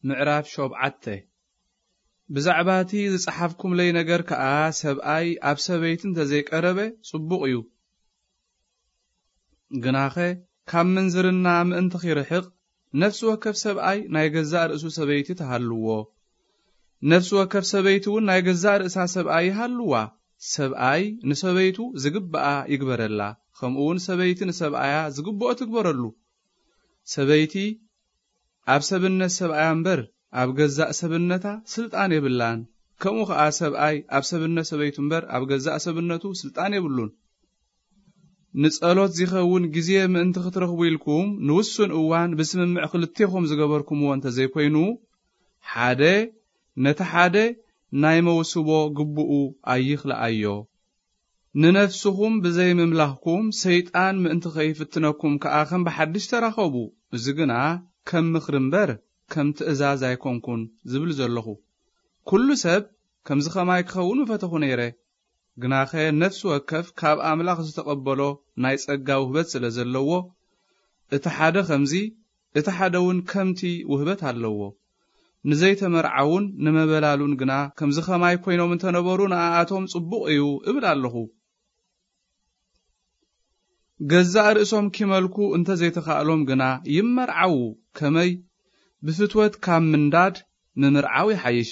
ምዕራፍ ሸውዓተ። ብዛዕባ እቲ ዝጸሓፍኩምለይ ነገር ከኣ፣ ሰብኣይ ኣብ ሰበይቲ እንተ ዘይቀረበ ጽቡቕ እዩ። ግናኸ፣ ካብ ምንዝርና ምእንቲ ኺርሕቕ፣ ነፍሲ ወከፍ ሰብኣይ ናይ ገዛእ ርእሱ ሰበይቲ ትሃልዎ። ነፍሲ ወከፍ ሰበይቲ እውን ናይ ገዛእ ርእሳ ሰብኣይ ይሃልዋ። ሰብኣይ ንሰበይቱ ዝግብኣ ይግበረላ፣ ከምኡ እውን ሰበይቲ ንሰብኣያ ዝግብኦ ትግበረሉ። ሰበይቲ ኣብ ሰብነት ሰብኣያ እምበር ኣብ ገዛእ ሰብነታ ስልጣን የብላን። ከምኡ ኸኣ ሰብኣይ ኣብ ሰብነት ሰበይቱ እምበር ኣብ ገዛእ ሰብነቱ ስልጣን የብሉን። ንጸሎት ዚኸውን ግዜ ምእንቲ ክትረኽቡ ኢልኩም ንውሱን እዋን ብስምምዕ ክልቴኹም ዝገበርኩምዎ እንተ ዘይኮይኑ፣ ሓደ ነቲ ሓደ ናይ መውስቦ ግብኡ ኣይኽልኣዮ። ንነፍስኹም ብዘይ ምምላኽኩም ሰይጣን ምእንቲ ኸይፍትነኩም ከኣ ከም ብሓድሽ ተራኸቡ። እዚ ግና ከም ምኽሪ እምበር ከም ትእዛዝ ኣይኮንኩን ዝብል ዘለኹ። ኩሉ ሰብ ከምዚ ኸማይ ክኸውን ምፈተኹ ነይረ። ግናኸ ነፍሲ ወከፍ ካብ ኣምላኽ ዝተቐበሎ ናይ ጸጋ ውህበት ስለ ዘለዎ፣ እቲ ሓደ ኸምዚ፣ እቲ ሓደ እውን ከምቲ ውህበት ኣለዎ። ንዘይተመርዓዉን ንመበላሉን ግና ከምዚ ኸማይ ኮይኖም እንተ ነበሩ ንኣኣቶም ጽቡቕ እዩ እብል ኣለኹ። ገዛእ ርእሶም ኪመልኩ እንተ ዘይተኻእሎም ግና ይመርዓዉ፣ ከመይ ብፍትወት ካብ ምንዳድ ምምርዓው ይሓይሽ።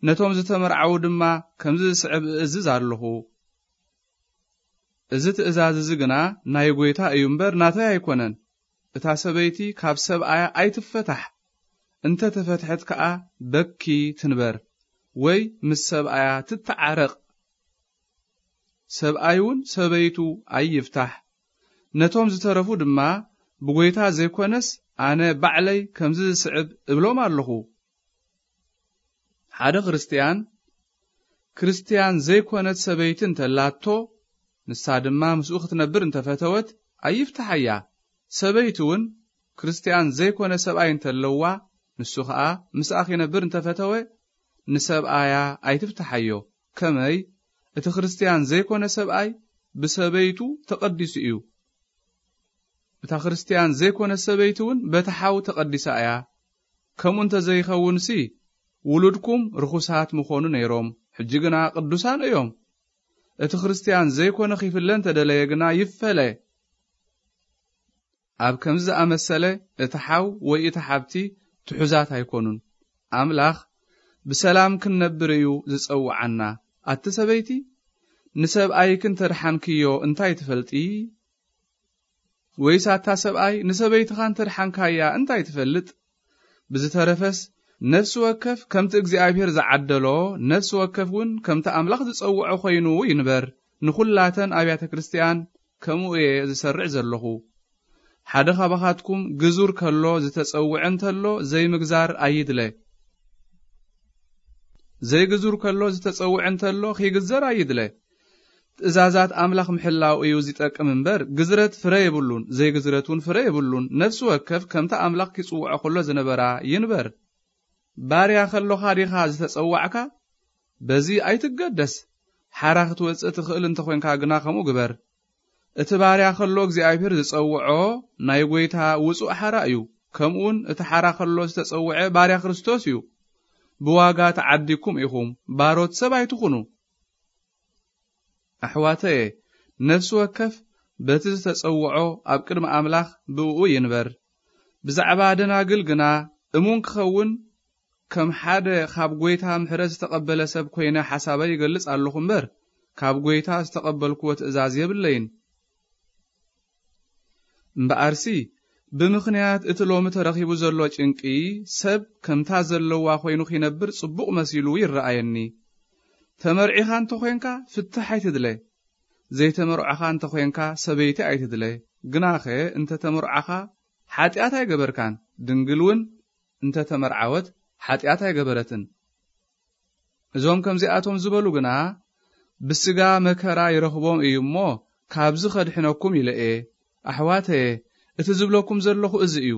ነቶም ዝተመርዓዉ ድማ ከምዚ ዝስዕብ እእዝዝ ኣለኹ። እዚ ትእዛዝ እዚ ግና ናይ ጐይታ እዩ እምበር ናተይ ኣይኮነን። እታ ሰበይቲ ካብ ሰብኣያ ኣይትፈታሕ፣ እንተ ተፈትሐት ከኣ በኪ ትንበር፣ ወይ ምስ ሰብኣያ ትተዓረቕ። ሰብኣይ እውን ሰበይቱ ኣይፍታሕ። ነቶም ዝተረፉ ድማ ብጐይታ ዘይኮነስ ኣነ ባዕለይ ከምዚ ዝስዕብ እብሎም ኣለኹ። ሓደ ክርስትያን፣ ክርስትያን ዘይኮነት ሰበይቲ እንተላቶ፣ ንሳ ድማ ምስኡ ክትነብር እንተፈተወት፣ ኣይፍትሓያ። ሰበይቲ እውን ክርስትያን ዘይኮነ ሰብኣይ እንተለዋ፣ ንሱ ኸኣ ምስኣ ኺነብር እንተፈተወ፣ ንሰብኣያ ኣይትፍትሓዮ። ከመይ፣ እቲ ክርስትያን ዘይኮነ ሰብኣይ ብሰበይቱ ተቐዲሱ እዩ። እታ ክርስትያን ዘይኮነት ሰበይቲ እውን በቲ ሓው ተቐዲሳ እያ። ከምኡ እንተ ዘይኸውንሲ፣ ውሉድኩም ርኹሳት ምኾኑ ነይሮም። ሕጂ ግና ቅዱሳን እዮም። እቲ ክርስትያን ዘይኮነ ኺፍለ እንተ ደለየ ግና ይፈለ። ኣብ ከምዚ ዝኣመሰለ፣ እቲ ሓው ወይ እታ ሓብቲ ትሑዛት ኣይኮኑን። ኣምላኽ ብሰላም ክንነብር እዩ ዝጸውዓና። ኣቲ ሰበይቲ፣ ንሰብኣይኪ እንተ ደሓንክዮ እንታይ ትፈልጢ? ወይስ ኣታ ሰብኣይ፣ ንሰበይትኻ እንተ ደሓንካያ እንታይ ትፈልጥ? ብዝተረፈስ፣ ነፍሲ ወከፍ ከምቲ እግዚኣብሔር ዝዓደሎ፣ ነፍሲ ወከፍ እውን ከምቲ ኣምላኽ ዝጸውዖ ኮይኑ ይንበር። ንኹላተን ኣብያተ ክርስትያን ከምኡ እየ ዝሰርዕ ዘለኹ። ሓደ ኻባኻትኩም ግዙር ከሎ ዝተጸውዐ እንተሎ ዘይምግዛር ኣይድለ። ዘይግዙር ከሎ ዝተጸውዐ እንተሎ ኺግዘር ኣይድለ። ትእዛዛት ኣምላኽ ምሕላው እዩ ዚጠቅም እምበር፣ ግዝረት ፍረ የብሉን፣ ዘይግዝረት እውን ፍረ የብሉን። ነፍሲ ወከፍ ከምቲ ኣምላኽ ኪጽውዖ ከሎ ዝነበራ ይንበር። ባርያ ከሎኻ ዲኻ ዝተጸዋዕካ? በዚ ኣይትገደስ። ሓራ ክትወጽእ ትኽእል እንተ ኾንካ ግና ከምኡ ግበር። እቲ ባርያ ከሎ እግዚኣብሔር ዝጸውዖ ናይ ጐይታ ውጹእ ሓራ እዩ። ከምኡውን እቲ ሓራ ከሎ ዝተጸውዐ ባርያ ክርስቶስ እዩ። ብዋጋ ተዓዲግኩም ኢኹም፣ ባሮት ሰብ ኣይትኹኑ። ኣሕዋተየ፣ ነፍሲ ወከፍ በቲ ዝተጸውዖ ኣብ ቅድሚ ኣምላኽ ብእኡ ይንበር። ብዛዕባ ደናግል ግና እሙን ክኸውን ከም ሓደ ካብ ጐይታ ምሕረት ዝተቐበለ ሰብ ኮይነ ሓሳበይ ይገልጽ ኣለኹ እምበር፣ ካብ ጐይታ ዝተቐበልክዎ ትእዛዝ የብለይን። እምበኣርሲ፣ ብምኽንያት እቲ ሎሚ ተረኺቡ ዘሎ ጭንቂ፣ ሰብ ከምታ ዘለዋ ኮይኑ ኺነብር ጽቡቕ መሲሉ ይረኣየኒ። ተመርዒኻ እንተ ኾንካ፣ ፍትሕ ኣይትድለ። ዘይተመርዖኻ እንተ ኾንካ፣ ሰበይቲ ኣይትድለ። ግናኸ እንተ ተመርዓኻ፣ ሓጢኣት ኣይገበርካን። ድንግል እውን እንተ ተመርዓወት፣ ሓጢኣት ኣይገበረትን። እዞም ከምዚኣቶም ዝበሉ ግና፣ ብስጋ መከራ ይረኽቦም እዩ እሞ፣ ካብዚ ኸድሕነኩም ኢለ እየ። ኣሕዋተየ፣ እቲ ዝብለኩም ዘለኹ እዚ እዩ።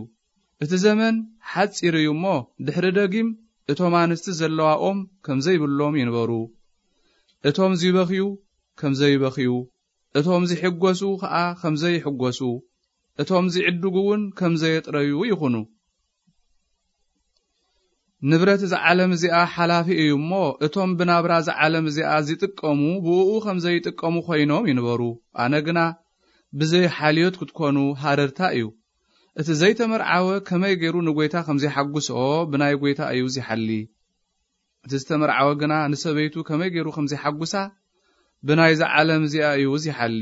እቲ ዘመን ሓጺር እዩ እሞ፣ ድሕሪ ደጊም እቶም ኣንስቲ ዘለዋ ኦም ከም ዘይብሎም ይንበሩ። እቶም ዚበኽዩ ከም ዘይበኽዩ፣ እቶም ዚሕጎሱ ኸኣ ከም ዘይሕጎሱ፣ እቶም ዚዕድጉ እውን ከም ዘየጥረዩ ይኹኑ። ንብረት እዛ ዓለም እዚኣ ሓላፊ እዩ እሞ፣ እቶም ብናብራ እዛ ዓለም እዚኣ ዚጥቀሙ ብእኡ ከም ዘይጥቀሙ ኮይኖም ይንበሩ። ኣነ ግና ብዘይ ሓልዮት ክትኮኑ ሃረርታ እዩ። እቲ ዘይተመርዓወ ከመይ ገይሩ ንጎይታ ከም ዚሓጉሶ ብናይ ጎይታ እዩ ዚሓሊ። እቲ ዝተመርዓወ ግና ንሰበይቱ ከመይ ገይሩ ከም ዚሓጉሳ ብናይዛ ዓለም እዚኣ እዩ ዚሓሊ።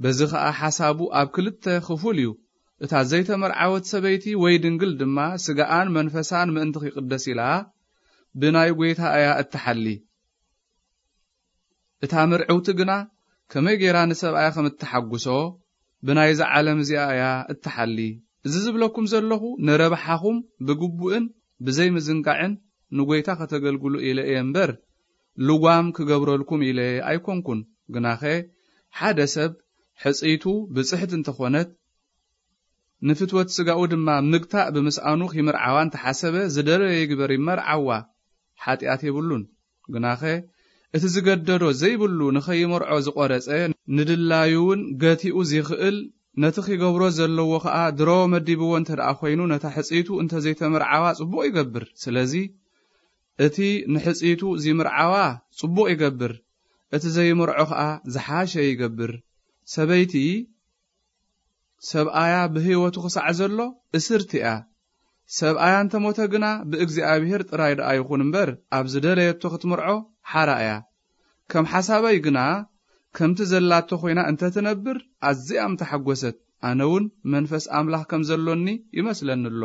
በዚ ኸኣ ሓሳቡ ኣብ ክልተ ክፉል እዩ። እታ ዘይተመርዓወት ሰበይቲ ወይ ድንግል ድማ ስጋኣን መንፈሳን ምእንቲ ኺቕደስ ኢላ ብናይ ጐይታ እያ እትሓሊ። እታ ምርዕውቲ ግና ከመይ ገይራ ንሰብኣያ ከም እተሓጉሶ ብናይዛ ዓለም እዚኣ እያ እትሓሊ። እዚ ዝብለኩም ዘለኹ ንረብሓኹም ብግቡእን ብዘይ ምዝንጋዕን ንጐይታ ከተገልግሉ ኢለ እየ እምበር፣ ልጓም ክገብረልኩም ኢለ ኣይኮንኩን። ግናኸ ሓደ ሰብ ሕጽይቱ ብጽሕት እንተኾነት፣ ንፍትወት ስጋኡ ድማ ምግታእ ብምስኣኑ ኺምርዓዋ እንተሓሰበ፣ ዝደለዮ ይግበር ይመርዓዋ፣ ሓጢኣት የብሉን። ግናኸ እቲ ዝገደዶ ዘይብሉ ንኸይመርዖ ዝቖረጸ፣ ንድላዩ እውን ገቲኡ ዚኽእል፣ ነቲ ኺገብሮ ዘለዎ ኸኣ ድሮ መዲብዎ እንተ ደኣ ኾይኑ፣ ነታ ሕጽይቱ እንተ ዘይተመርዓዋ ጽቡቕ ይገብር። ስለዚ እቲ ንሕጽይቱ ዚምርዓዋ ጽቡቕ ይገብር፣ እቲ ዘይመርዖ ኸኣ ዝሓሸ ይገብር። ሰበይቲ ሰብኣያ ብህይወቱ ክሳዕ ዘሎ እስርቲ እያ። ሰብኣያ እንተ ሞተ ግና ብእግዚኣብሔር ጥራይ ደኣ ይኹን እምበር፣ ኣብ ዝደለየቶ ክትምርዖ ሓራ እያ። ከም ሓሳበይ ግና ከምቲ ዘላቶ ኮይና እንተ ትነብር ኣዝያ ምተሓጎሰት፣ ኣነ እውን መንፈስ ኣምላኽ ከም ዘሎኒ ይመስለኒ ኣሎ።